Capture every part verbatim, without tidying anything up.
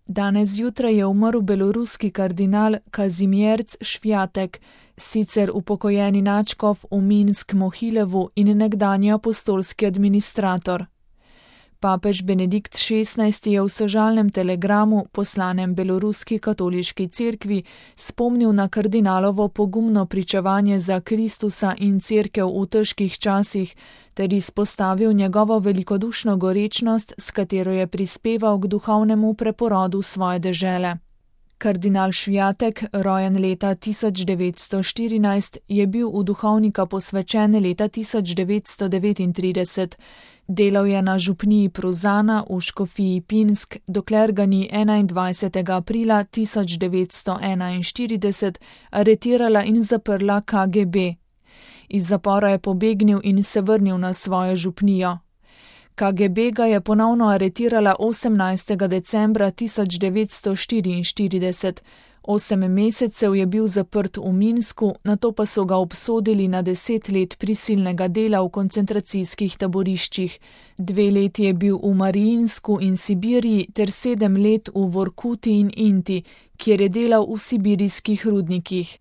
Danes zjutraj je umrl beloruski kardinal Kazimierz Švjatek, sicer upokojeni nadškof v Minsk-Mohilevu in nekdanji apostolski administrator. Papež Benedikt šestnajsti je v sožalnem telegramu, poslanem beloruski katoliški cerkvi, spomnil na kardinalovo pogumno pričevanje za Kristusa in cerkev v težkih časih ter izpostavil njegovo velikodušno gorečnost, s katero je prispeval k duhovnemu preporodu svoje dežele. Kardinal Švjatek, rojen leta tisoč devetsto štirinajst, je bil v duhovnika posvečen leta tisoč devetsto devetintrideset. Delal je na župniji Pruzana v škofiji Pinsk, dokler ga ni enaindvajsetega aprila tisoč devetsto enainštirideset aretirala in zaprla K G B. Iz zapora je pobegnil in se vrnil na svojo župnijo. K G B ga je ponovno aretirala osemnajstega decembra tisoč devetsto štiriinštirideset. Osem mesecev je bil zaprt v Minsku, nato pa so ga obsodili na deset let prisilnega dela v koncentracijskih taboriščih. Dve leti je bil v Mariinsku in Sibiriji ter sedem let v Vorkuti in Inti, kjer je delal v sibirijskih rudnikih.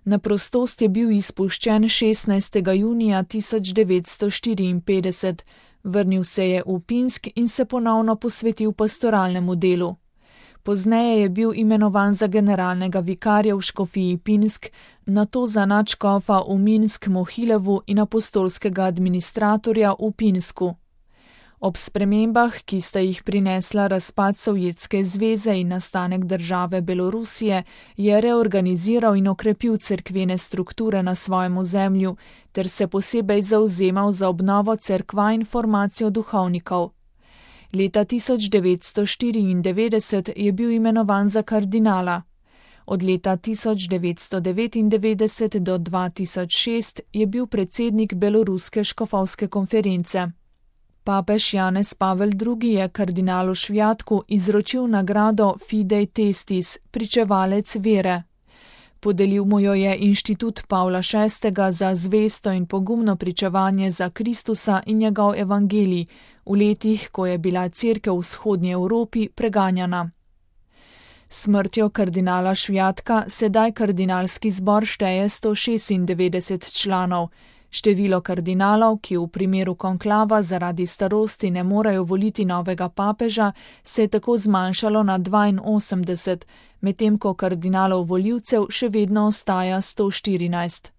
Na prostost je bil izpuščen šestnajstega junija tisoč devetsto štiriinpetdeset. Vrnil se je v Pinsk in se ponovno posvetil pastoralnemu delu. Pozneje je bil imenovan za generalnega vikarja v škofiji Pinsk, nato za nadškofa v Minsk-Mohilevu in apostolskega administratorja v Pinsku. Ob spremembah, ki sta jih prinesla razpad Sovjetske zveze in nastanek države Belorusije, je reorganiziral in okrepil cerkvene strukture na svojem ozemlju ter se posebej zavzemal za obnovo cerkva in formacijo duhovnikov. Leta tisoč devetsto štiriindevetdeset je bil imenovan za kardinala. Od leta tisoč devetsto devetindevetdeset do dva tisoč šest je bil predsednik Beloruske škofovske konference. Papež Janez Pavel drugi je kardinalu Švjatku izročil nagrado Fidei Testis, pričevalec vere. Podelil mu jo je Inštitut Pavla šestega za zvesto in pogumno pričevanje za Kristusa in njegov evangelij, v letih, ko je bila cerkev v vzhodnji Evropi preganjana. Smrtjo kardinala Švjatka sedaj kardinalski zbor šteje sto šestindevetdeset članov. Število kardinalov, ki v primeru konklava zaradi starosti ne morejo voliti novega papeža, se je tako zmanjšalo na dvainosemdeset, medtem ko kardinalov volivcev še vedno ostaja sto štirinajst.